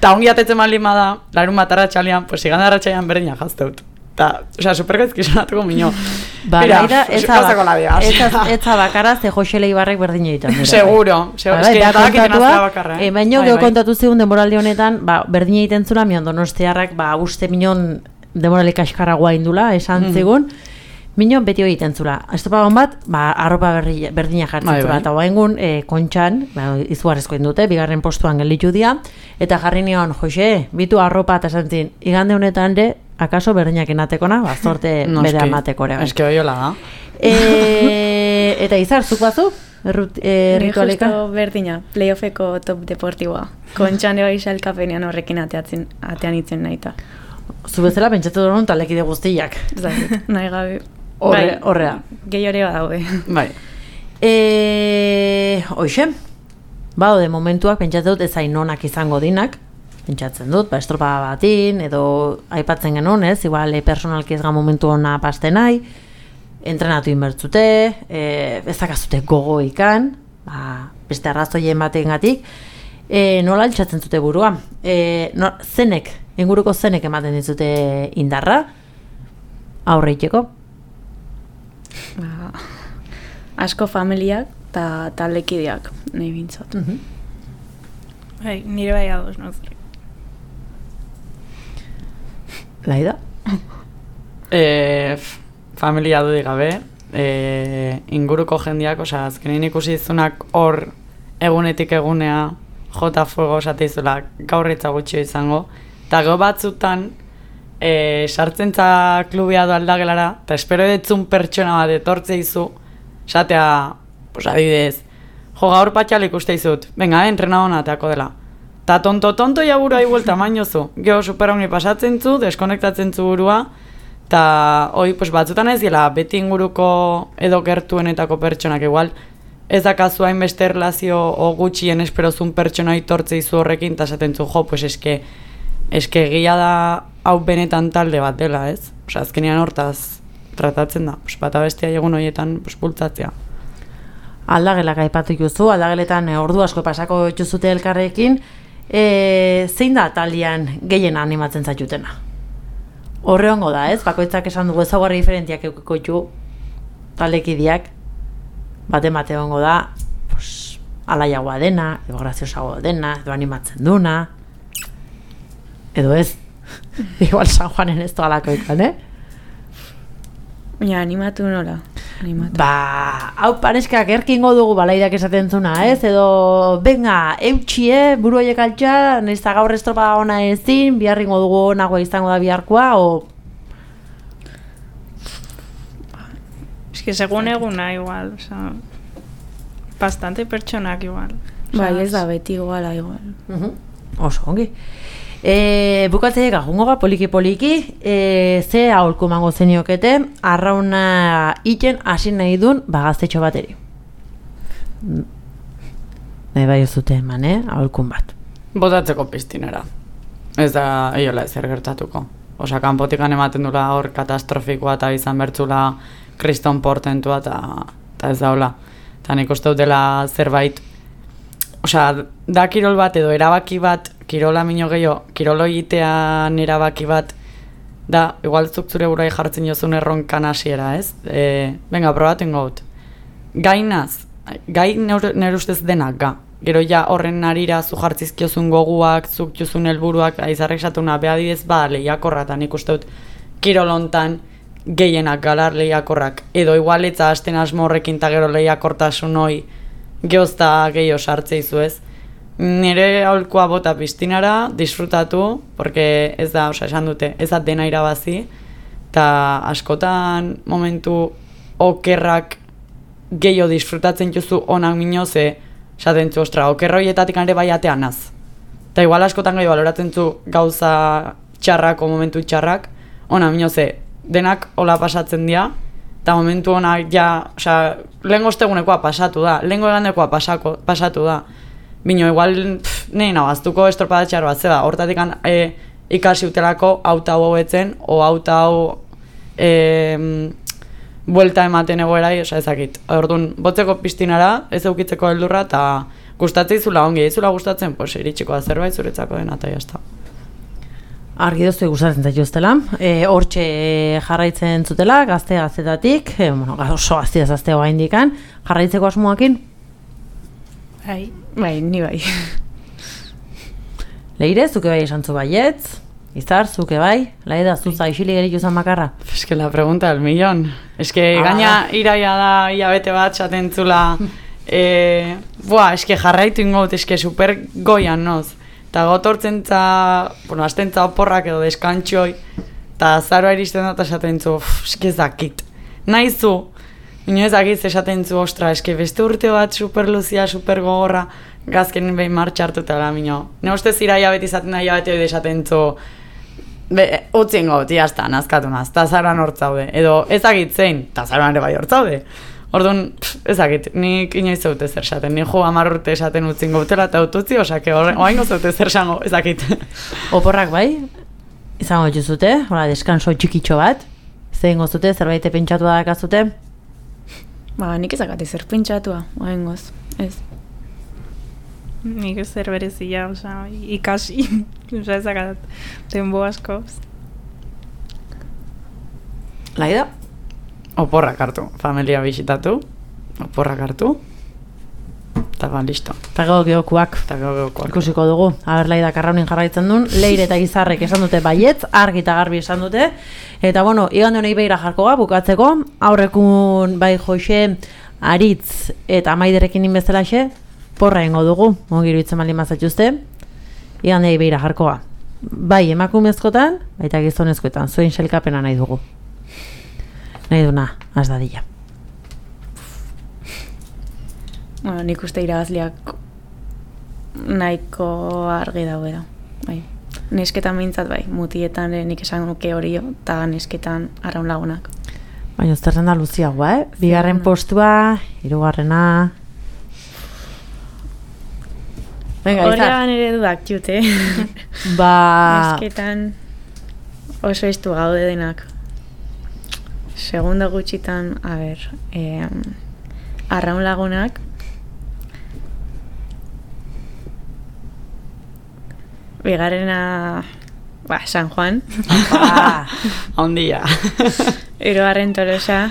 Ta ongi atetzen baldin bada, larun bat arratxalian, pues igande arratxalian berdina jazteut. Ta, o sea, supergaizki sonatuko mino. Ba, Mira, da, ez gauzako labiaz. da bakara, ze Josele Ibarrek berdin egiten. Seguro, seguro. Es que badakiten aztea bakarra, eh? E, baino, geho kontatu zigun demoraldi honetan, ba, berdin egiten zula, mion donostiarrak, ba, uste minon demorali kaskarragoa indula, esan zigun, minon beti egiten zula. Estopagon bat, ba, arropa berri, berdina jartzen zula, eta guaingun, e, kontxan, ba, izugarrezko indute, bigarren postuan gelditu dia, eta jarri nion, Jose, bitu arropa eta zantzin, igande honetan de, akaso berdinak enatekona, ba, zorte no, bere amatekore. Eske oiola da. E, eta izar, zuk bazu? Errut, e, ritualeka? Justo berdina, playoffeko top deportiboa. Kontxan eba isalkapenean horrekin ateatzen, atean itzen nahita. Zu bezala, pentsatu duen talekide guztiak. Zait, nahi gabe. Horre, horrea. Gehi hori badaude. Bai. E, Hoxe, badaude momentuak, pentsatu dut ezain onak izango dinak, pentsatzen dut, ba, estropa batin, edo aipatzen genuen, ez, igual e, personalki ez ga momentu ona paste nahi, entrenatu inbertzute, e, ezakazute gogo ikan, ba, beste arrazoien batengatik, e, nola altxatzen zute burua, e, no, zenek, inguruko zenek ematen dizute indarra, aurre iteko? Ba, asko familiak eta taldekideak nahi bintzat. Mhm. Bai, nire bai ados, no? Laida? E, familia dudik gabe, e, inguruko jendiak, osea, azkenin ikusi izunak hor egunetik egunea jota fuego esatizula gaurritza gutxio izango, eta gero batzutan e, sartzentza klubia do aldagelara, eta espero detzun pertsona bat etortze izu, esatea, pues adibidez, jo gaur patxal ikuste izut, venga, entrena hona ateako dela. Ta tonto-tonto ja burua igual tamainozu. Gero superauni pasatzen zu, deskonektatzen zu burua, eta hoi pues, batzutan ez dela, beti inguruko edo gertuenetako pertsonak igual, ez dakazu hainbeste erlazio o gutxien esperozun pertsona itortze izu horrekin, eta esaten zu, jo, pues eske, eske gila da hau benetan talde bat dela, ez? Osa, azkenean hortaz tratatzen da, pues, bata bestia egun horietan pues, bultzatzea. Aldagelak aipatu juzu, aldageletan e, ordu asko pasako juzute elkarrekin, e, zein da taldean gehien animatzen zaitutena? Horre hongo da, ez? Bakoitzak esan dugu ezaugarri diferentiak eukiko ju taldekideak, bate mate hongo da, pues, alaiagoa dena, edo graziosagoa dena, edo animatzen duna, edo ez, igual San Juanen ez doalako ikan, eh? Ja, animatu nola. Animatu. Ba, hau pareskak erkingo dugu balaidak esaten zuna, ez? Edo, venga, eutxie, buru horiek altxa, nahizta gaur estropa ona ezin, biharringo dugu nagoa izango da biharkoa, o... Es que segun eguna igual, o sea, bastante pertsonak igual. Bai, ez da beti iguala igual. Uh-huh. Oso, ongi. E, bukatzea jungoga poliki-poliki, e, ze aholku mango zeniokete, arrauna iten hasi nahi dun bagaztetxo bateri. Nahi bai zute eman, eh? Aholkun bat. Botatzeko piztinera. Ez da, eiola ezer gertatuko. Osa, kanpotikan ematen dula hor katastrofikoa eta izan bertzula kriston portentua eta ez daula. Eta nik uste dutela zerbait, osa, da kirol bat edo erabaki bat, kirola mino gehiago, kirolo egitean erabaki bat, da, igual zuk zure burai jartzen jozun erronkan hasiera, ez? E, venga, probaten gaut. Gainaz, gai nire ustez denak, ga. Gero ja horren narira zu jartzizkiozun goguak, zuk jozun helburuak, aizarrek esatuna, behadidez ba, lehiakorra, eta nik uste dut, kirolontan gehienak galar lehiakorrak, edo igualetza hasten asmo horrekin eta gero lehiakortasun hoi geozta gehiago sartzeizu ez. Nire aholkua bota piztinara, disfrutatu, porque ez da, osa, esan dute, ez da dena irabazi, eta askotan momentu okerrak gehiago disfrutatzen juzu onak mino, ze esaten zu, ostra, okerroietatik ere bai atean az. Eta igual askotan gehiago baloratzen zu gauza txarrak o momentu txarrak, onak mino, ze denak hola pasatzen dira, eta momentu honak ja, osa, lehengo ostegunekoa pasatu da, lehengo egandekoa pasako, pasatu da. Bino, igual, pff, nahi nabaztuko estropada txar bat, zeba, hortatik e, ikasi utelako auta hau hauetzen, o auta hau e, buelta ematen egoerai, osa ezakit. Orduan, botzeko piztinara, ez eukitzeko heldurra, eta gustatzen izula ongi, izula gustatzen, pues, iritsiko da zerbait zuretzako dena, eta jazta. Argi doztu gustatzen zaituztela. E, hortxe jarraitzen zutela, gazte gaztetatik, e, bueno, oso gaztea zazteo gaindikan, jarraitzeko asmoakin? Bai, bai, ni bai. Leire, zuke bai esan zu baietz? Izar, zuke bai? Laida, zuza isilik eritu zan makarra? Es que la pregunta del millón. Es que ah. gaina iraia da hilabete bat zaten zula. eh, buah, es que jarraitu ingot, es que super goian noz. Eta gotortzen za, bueno, azten za oporrak edo deskantxoi, eta zaroa iristen da eta esaten zu, eske zakit. Naizu, ino ezakit esaten zu, ostra, eske beste urte bat super luzia, super gogorra, gazken behin martxa hartuta da, mino. Ne ustez iraia beti izaten da, iraia beti esaten zu, be, utzien got, jazta, nazkatu naz, eta zaroan hortzaude. Edo ezakit zein, eta zaroan ere bai hortzaude. Orduan, ezakit, nik inoiz zaute zer esaten, nik jo hamar urte esaten utzin gautela eta ututzi, osake oaingo zaute zer esango, ezakit. Oporrak bai, izango dituzute, hola, deskanso txikitxo bat, zein gozute, zerbait pentsatu da dakazute? Ba, nik ezakate zer pentsatua, oaingoz, ez. Nik ez zer berezia, oza, ikasi, oza, ezakat, denbo asko. Laida? Oporrak hartu, familia bisitatu, oporrak hartu, eta ba, listo. Eta gero geokuak. Eta gero geokuak. Ikusiko dugu, aber Laida Karraunin jarraitzen duen, Leire eta Gizarrek esan dute baietz, argi eta garbi esan dute, eta bueno, igande honei behira jarkoa, bukatzeko, aurrekun bai Joxe, Aritz eta Maiderekin inbezelaxe, porra ingo dugu, ongiru itzen baldin mazatxuzte, igande honei behira jarkoa. Bai emakumezkotan, baita gizonezkoetan, zuen selkapena nahi dugu. Nahi duna, az dadila. Bueno, nik uste irabazliak nahiko argi daudela. Bai. Nesketan behintzat bai, mutietan nik esan nuke horio, eta nesketan arraun lagunak. Baina zerren da luziagoa, eh? Bigarren postua, hirugarrena... Venga, Horrean ere dudak jute. Ba... Nesketan oso estu gaude denak. Segundo gutxitan, a ber, eh, arraun lagunak, bigarrena, ba, San Juan, Ah, Ondia. hirugarren Tolosa,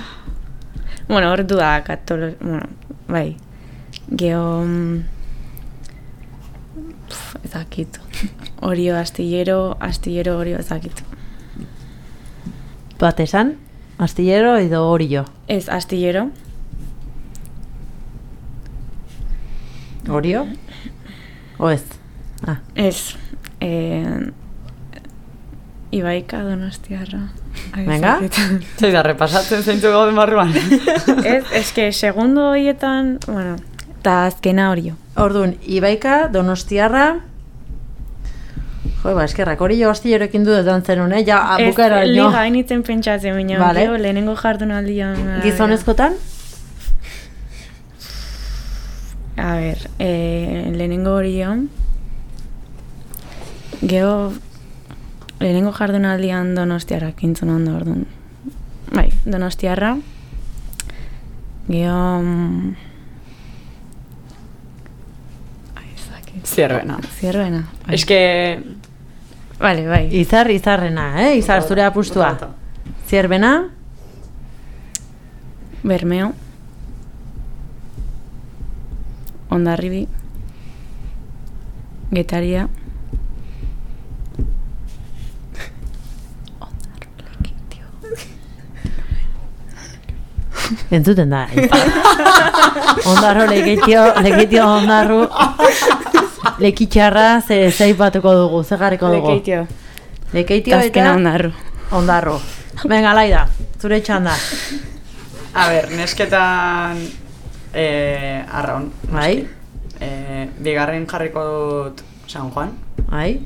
bueno, hor dudak, Tolosa, bueno, bai, geho, pf, ezakit, Orio astillero, astillero Orio ezakit. bat esan, astillero edo orio. Ez, astillero, Orio? O ez? Ah, ez, eh, Ibaika Donostiarra. Ai, Venga. ezakit. Zei da, repasatzen zeintzu gauden barruan. Ez, eske, segundo horietan, bueno, eta azkena Orio. orduan, Ibaika, Donostiarra... Jo, ba, eskerrak, orio astilleroekin du edan zenun, eh? Ja, bukara, Ez, no? liga hainitzen pentsatzen, baina, Vale. gero, lehenengo jardunaldian... Gizonezkotan? A ber, eh, lehenengo Orion, gero, lehenengo jardunaldian Donostiarra kintzun ondo orduan. Bai, Donostiarra, gero... mm, ai, ez dakit. Zierbena. Zierruena. Bai. Es que... Vale, bai. Izar, izarrena, eh? Izar, zure apustua. Zierbena? Bermeo. Hondarribi. Getaria. Entzuten da. Ondarro lekitio, lekitio ondarru. Lekitxarra ze zeipatuko dugu, ze jarriko dugu. Lekeitio. Lekeitio Azkena eta ondarru. ondarru. Venga, Laida, zure txanda. A ber, nesketan eh, arraun. Bai, Eh, bigarren jarriko dut San Juan. bai.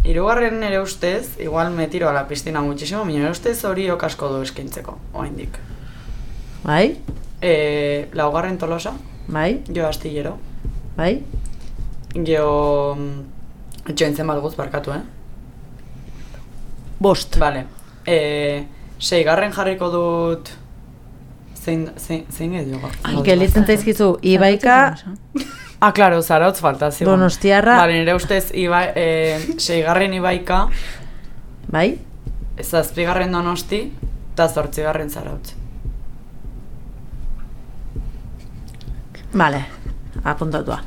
Hirugarren ere ustez, igual me tiro a la piscina muchísimo, baina ere ustez hori okasko du eskaintzeko, oraindik. Bai, Eh, laugarren Tolosa, bai, jo astillero. bai. Geo... Etxointzen bat guz barkatu, eh? Bost. Vale. Eh, seigarren jarriko dut... Zein, zein, zein edo gaur? Gelitzen zaizkizu, Ibaika, Ah, claro, Zarautz falta, zigon. Donostiarra. Vale, nire ustez, iba, eh, seigarren Ibaika, Bai? Zazpigarren Donosti eta zortzigarren Zarautz. Vale, apuntatua.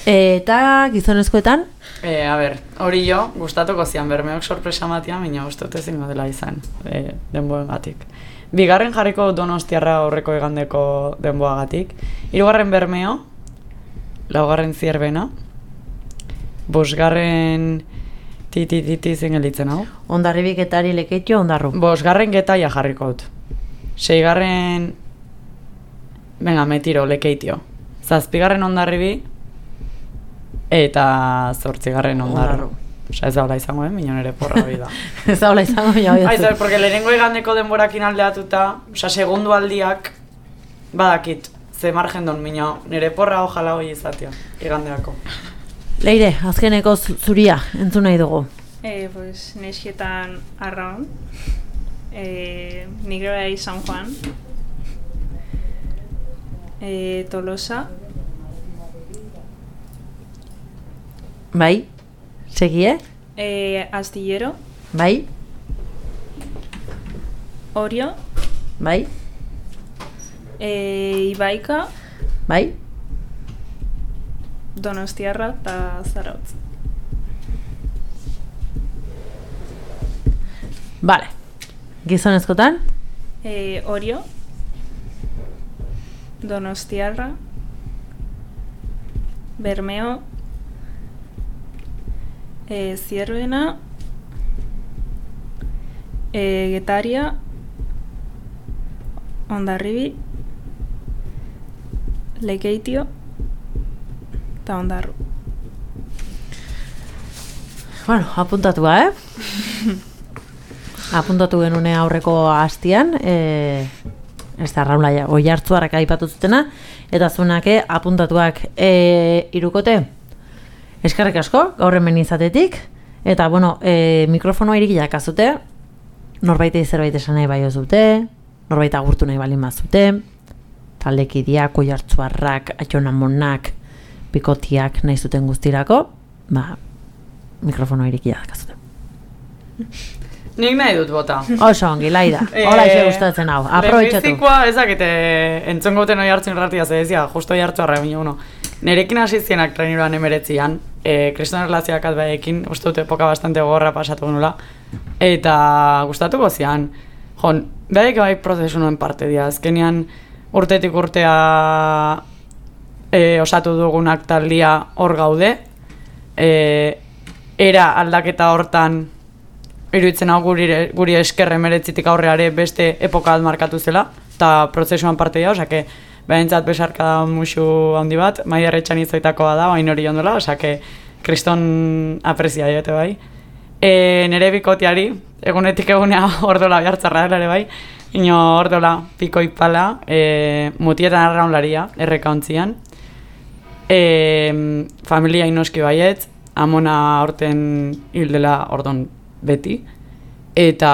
Eta gizonezkoetan? E, a ber, hori jo, gustatuko zian Bermeok sorpresa matia, baina gustatu ezingo dela izan, e, denboagatik. Bigarren jarriko Donostiarra aurreko igandeko denboagatik. Hirugarren Bermeo, laugarren Zierbena, bosgarren titi-titi zen gelditzen hau. Ondarribik Getari Lekeitio, Ondarru. Bosgarren Getaia jarriko dut. Seigarren, venga, Metiro, Lekeitio. Zazpigarren Ondarribi, eta zortzigarren Ondarru. Osa, ez daula izango, eh? Minon ere porra hori da. Ez daula izango, ja hori da. Porque lehenengo igandeko denborakin aldeatuta, osa, segundu aldiak, badakit, ze margen don, mino, nire porra ojala hori izatea, igandeako. Leire, azkeneko zuria, entzun nahi dugu. Eh, pues, neskietan Arraun, eh, Nigroi San Juan, eh, Tolosa. Bai, segie? Eh, Astillero. Bai. Orio. Bai. Eh, Ibaika. Bai. Donostiarra eta Zarautz. Vale. Gizonezkotan? Eh, Orio. Donostiarra. Bermeo. Eh, Zierbena. Eh, Getaria. Ondarribi. Lekeitio. Eta Ondarru. Bueno, apuntatua, eh? Apuntatu genune aurreko hastian, eh, ez da Raula Oiartzuarrak aipatu zutena, eta zunake apuntatuak eh, irukote. Eskerrik asko, gaur hemen izatetik, eta, bueno, e, mikrofonoa irikiak azute, norbaitei zerbait esan nahi bai dute, norbait agurtu nahi balin bazute, taldekideak, Oiartzuarrak, Atxonamonak, Pikotiak nahi zuten guztirako, ba, mikrofonoa irikiak azute. Nik nahi dut bota. Oso ongi, Laida, hola xe gustatzen hau, aprobetxatu. Lehenbizikoa ezakete entzongo duten Oiartzun ratia zedezia, justo Oiartzuarra, bine, uno. Nerekin hasi zienak treniruan emeretzian, e, kriston erlazioak atbaekin, uste dut epoka bastante gogorra pasatu genula, eta gustatuko zian. Jon, behaik bai prozesu nuen parte dira, azkenean urtetik urtea e, osatu dugunak taldia hor gaude, e, era aldaketa hortan iruditzen hau guri, guri esker emeretzitik aurreare beste epoka bat markatu zela, eta prozesuan parte dira, osake, behintzat besarka da musu handi bat, Maider Etxanizoitakoa da, bain hori jondola, osake, kriston aprezia diote bai. E, nere bikotiari, egunetik egunea ordola behartzarra dela ere bai, ino ordola piko ipala, e, mutietan arraunlaria, erreka ontzian. E, familia inoski baiet, amona orten hildela ordon beti, eta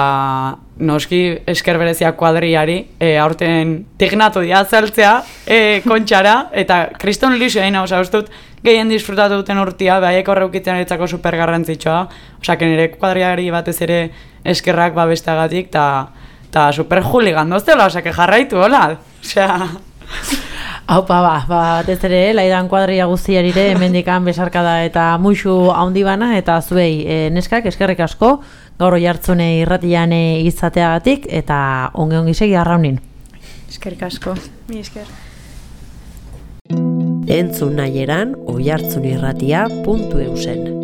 noski esker berezia kuadriari, e, aurten tignatu dia zeltzea e, kontxara, eta kriston lixo egin, oza, ustut, gehien disfrutatu duten urtia, behaiek horreukitzen eretzako super garrantzitsua, oza, nire kuadriari batez ere eskerrak babesteagatik, eta super juligan doztela, oza, jarraitu, hola, osea... Haupa, ba, ba, batez ere, Laidan kuadria guztiarire, hemendikan besarkada eta muixu handi bana, eta zuei e, neskak, eskerrik asko, gaur Oiartzune irratian izateagatik, eta onge-ongi segi Arraunin. Eskerrik asko. Mi esker. Entzun nahi eran oiartzunirratia puntu eusen.